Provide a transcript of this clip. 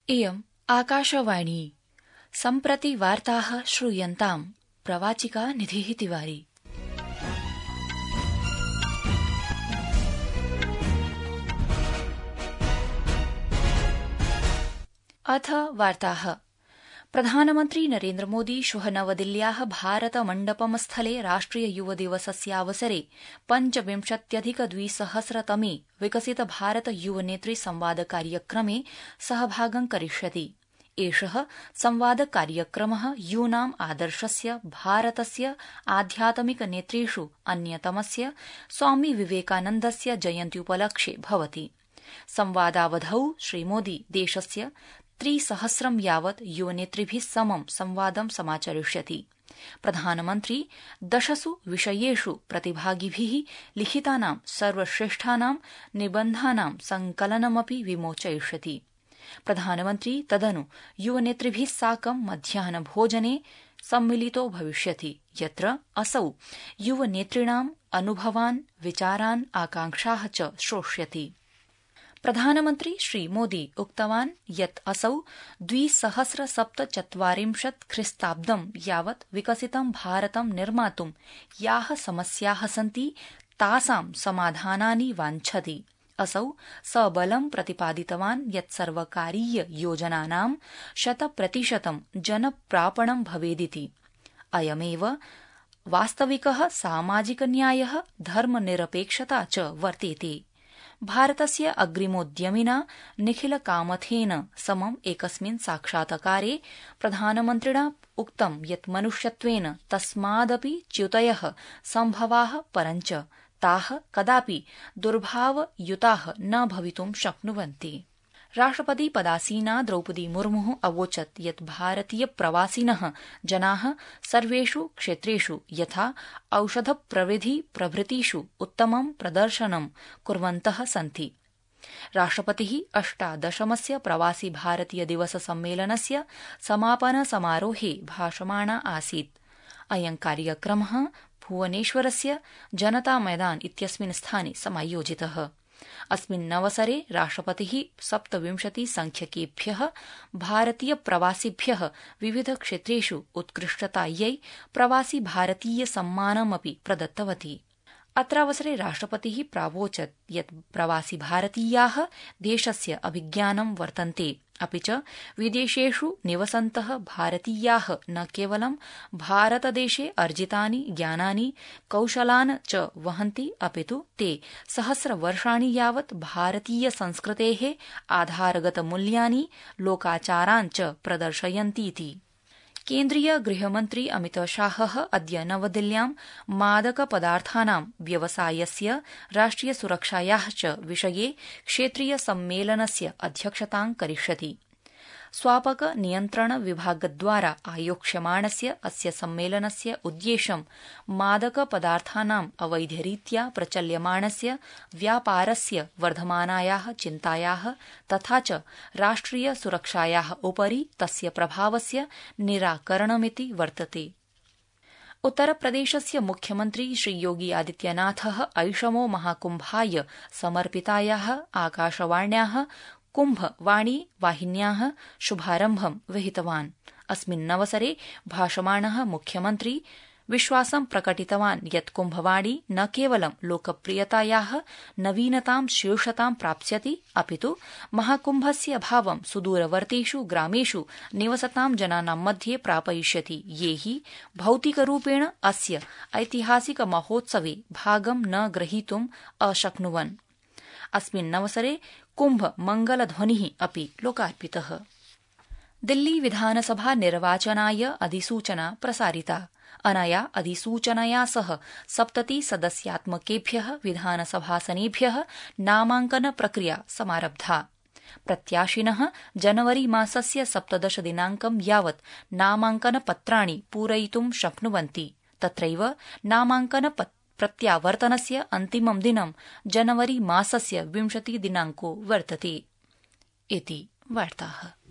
इयम् आकाशवाणी। सम्प्रति वार्ताः श्रूयन्ताम्। प्रवाचिका निधिः तिवारी। अथ वार्ताः। प्रधानमन्त्री नरेन्द्रमोदी श्वः नवदिल्ल्याः भारत मण्डपम स्थले राष्ट्रिय युव दिवसस्यावसरे 25,200तमे विकसित भारत युव नेतृ संवाद कार्यक्रमे सहभागं करिष्यति। एषः संवाद कार्यक्रमः यूनाम् आदर्शस्य भारतस्य आध्यात्मिक नेतृषु अन्यतमस्य स्वामी विवेकानन्दस्य जयन्त्युपलक्ष्ये भवति। संवादावधौ श्रीमोदी देशस्य 300 यावत् युवनेतृभिः समं संवादं समाचरिष्यति। प्रधानमन्त्री 10 विषयेषु प्रतिभागिभिः लिखितानां सर्वश्रेष्ठानां निबन्धानां संकलनमपि विमोचयिष्यति। प्रधानमन्त्री तदनु युवनेतृभिः साकं मध्याह्नभोजने सम्मिलितो भविष्यति, यत्र असौ युवनेतॄणाम् अनुभवान्, विचारान्, आकांक्षाः च श्रोष्यति। प्रधानमन्त्री श्रीमोदी उक्तवान् यत् असौ 2047 ख्रीस्ताब्दं यावत् विकसितं भारतं निर्मातुं याः समस्याः सन्ति तासां समाधानानि वाञ्छति। असौ सबलं प्रतिपादितवान् यत् सर्वकारीय योजनानां 100% जनप्रापणं भवेदिति। अयमेव वास्तविकः सामाजिक न्यायः, धर्मनिरपेक्षता च वर्तेते। भारतस्य अग्रिमोद्यमिना निखिल कामथेन समम् एकस्मिन् साक्षात्कारे प्रधानमन्त्रिणा उक्तं यत् मनुष्यत्वेन तस्मादपि च्युतयः सम्भवाः, परञ्च ताः कदापि दुर्भावयुताः न भवितुं शक्नुवन्ति। राष्ट्रपति पदासीना द्रौपदी मुर्मुः अवोचत् यत् भारतीय प्रवासिनः जनाः सर्वेषु क्षेत्रेषु यथा औषध प्रविधि प्रभृतिषु उत्तमं प्रदर्शनं कुर्वन्तः सन्ति। राष्ट्रपतिः 18 प्रवासी भारतीय दिवस सम्मेलनस्य समापन समारोहे भाषमाणा आसीत्। अयं कार्यक्रमः भुवनेश्वरस्य जनता मैदान इत्यस्मिन् स्थाने समायोजितः। अस्मिन्नवसरे राष्ट्रपतिः 27 संख्यकेभ्यः भारतीय प्रवासिभ्यः विविध क्षेत्रेषु उत्कृष्टतायै प्रवासी भारतीय सम्मानमपि प्रदत्तवती। अत्रावसरे राष्ट्रपतिः प्रावोचत् यत् प्रवासी भारतीयाः देशस्य अभिज्ञानं वर्तन्ते, अपि च विदेशेषु निवसन्तः भारतीयाः न केवलं भारतदेशे अर्जितानि ज्ञानानि, कौशलान् च वहन्ति, अपितु ते सहस्रवर्षाणि यावत् भारतीय संस्कृतेः आधारगतमूल्यानि, लोकाचारान् च प्रदर्शयन्तीति। केन्द्रीय गृहमन्त्री अमितशाहः अद्य नवदिल्ल्यां मादकपदार्थानां व्यवसायस्य, राष्ट्रियसुरक्षायाः च विषये क्षेत्रीय सम्मेलनस्य अध्यक्षतां करिष्यति। स्वापक नियन्त्रण विभागद्वारा आयोक्ष्यमाणस्य अस्य सम्मेलनस्य उद्देश्यं मादकपदार्थानाम् अवैधरीत्या प्रचल्यमाणस्य व्यापारस्य वर्धमानायाः चिन्तायाः तथा च राष्ट्रियसुरक्षायाः उपरि तस्य प्रभावस्य निराकरणमिति वर्तते। उत्तरप्रदेशस्य मुख्यमन्त्री श्रीयोगी आदित्यनाथः ऐषमो महाकुम्भाय समर्पितायाः आकाशवाण्याः कुम्भवाणी वाहिन्याः शुभारम्भं विहितवान्। अस्मिन्नवसरे भाषमाणः मुख्यमन्त्री विश्वासं प्रकटितवान् यत् कुम्भवाणी न केवलं लोकप्रियतायाः नवीनतां शीर्षतां प्राप्स्यति, अपितु महाकुम्भस्य भावं सुदूरवर्तीषु ग्रामेषु निवसतां जनानां मध्ये प्रापयिष्यति, ये हि भौतिकरूपेण अस्य ऐतिहासिक महोत्सवे भागं न ग्रहीतुम् अशक्नुवन्। अस्मिन्नवसरे कुम्भ मंगलध्वनिः अपि लोकार्पितः। दिल्ली विधानसभा निर्वाचनाय अधिसूचना प्रसारिता। अनया अधिसूचनया सह 70 सदस्यात्मकेभ्यः विधानसभासनेभ्यः नामाङ्कन प्रक्रिया समारब्धा। प्रत्याशिनः जनवरी मासस्य 17 दिनाङ्कं यावत् नामाङ्कनपत्राणि पूरयितुं शक्नुवन्ति। तत्रैव नामाङ्कन प्रत्यावर्तनस्य अन्तिमं दिनं जनवरी मासस्य 20 दिनाङ्को वर्तते। इति वार्ताः।